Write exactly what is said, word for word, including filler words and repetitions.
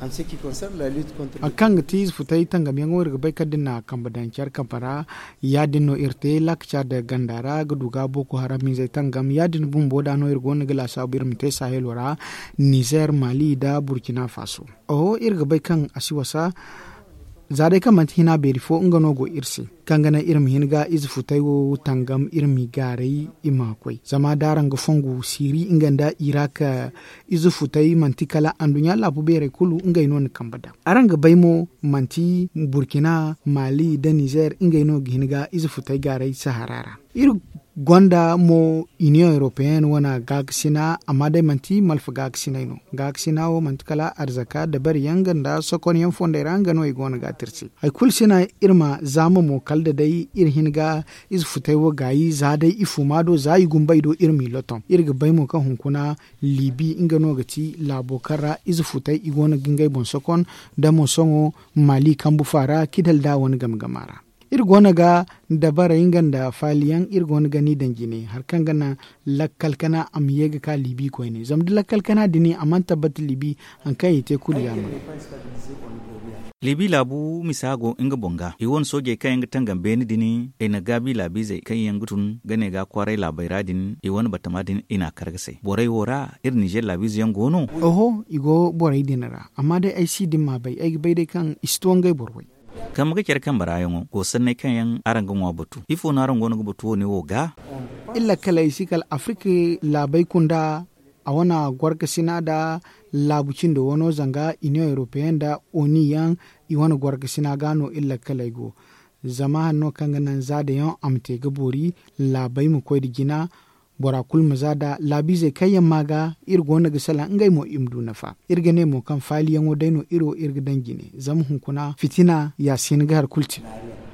Hari kaŋ ga ti ize futay tangamyaŋo iri ga bay kala da ni na a kambe daŋ care kambe ra. Ya- din no iri te laakaca nda ganda ra ga du ga boko haram izey tangam ya- din bumbo da no iri go no ga laasaabu iri ma te sahelo ra, nizer mali nda burkina faso. Oho iri ga bay kaŋ a si wasa. Za day kaŋ manti hina beeri fo nga no go iri se, kaŋ ga naŋ iri ma hin ga ize futay wo tangam iri m'i gaaray i ma koy zama da araŋ ga fongu siiri nga nda irak. Ize futay manti kala anduɲɲa laabu beerey kulu ngey no na kambe daŋ. Araŋ ga bay mo manti burkina mali nda nizer ngey no ga hin ga ize futay gaaray sahara ra. Iri gonda mo, iniyoŋ europeyen wane gaakasina amma day manti malfa gaakasinay no. Gaakasina wo manti kala arzaka dabari yaŋ nga nda sokonyaŋ fondey ra nga no i go no ga a tirsi. Hari kulu sina iri ma zaama mo kala da day iri hin ga ize futay wo gaayi za day i fuma do za i gumbay do iri m'i loton iri ga bay mo kaŋ hunkuna libi nga no ga ti laabo kaŋ ra ize futay i go no ga ngey boŋ sokon. Da mo sohõ mali kambu faara kidal da wane game gama ra. Iri go no ga dabarey nga nda faaliyaŋ iri go no ga ni daŋ jine hari kaŋ ga naŋ lakkal kana a ma ye ga ka libi koyne zama da lakkal kana din a mana tabbata libi. Hari kaŋ i te kulu ya no. Libi laabu misa go nga boŋ ga i wane soojey kaŋ yaŋ ga tangam beene din i na gaabi laabiizey kaŋ yaŋ ga tun ga ne ga kwaaray laabey ra din i wane batama din i n'a kar ga say borey wo ra iri nizer laabiize yaŋ go no. Oho i go borey din ra amma day ay si din m'a bay ay ga bay day kaŋ i si to ngey boro way. Kambe ga care kambe ra yaŋo go sanney kaŋ yaŋ araŋ ga ŋwa batu ifo no araŋ go no ga batu wo- ne wo ga? Iri lakkaley si kala afirika laabey kunda a wane gorkasina nda laabu cindo wano zanga iniyoŋ europeyen nda oni yaŋ i wane gorkasina ga no iri lakkaley go. Zama hari no kaŋ ga naŋ za da yaŋ a ma te ga boori laabey ma koy nda jina. Bora kulu ma za da laabiizey kaŋ yaŋ ma ga iri go no ga salaŋ ngey mo i ma du nafa. Iri ga ne mo kaŋ faaliyaŋo day no iri wo iri ga daŋ jine zama hunkuna fitina ya si hin ga hari kulu te.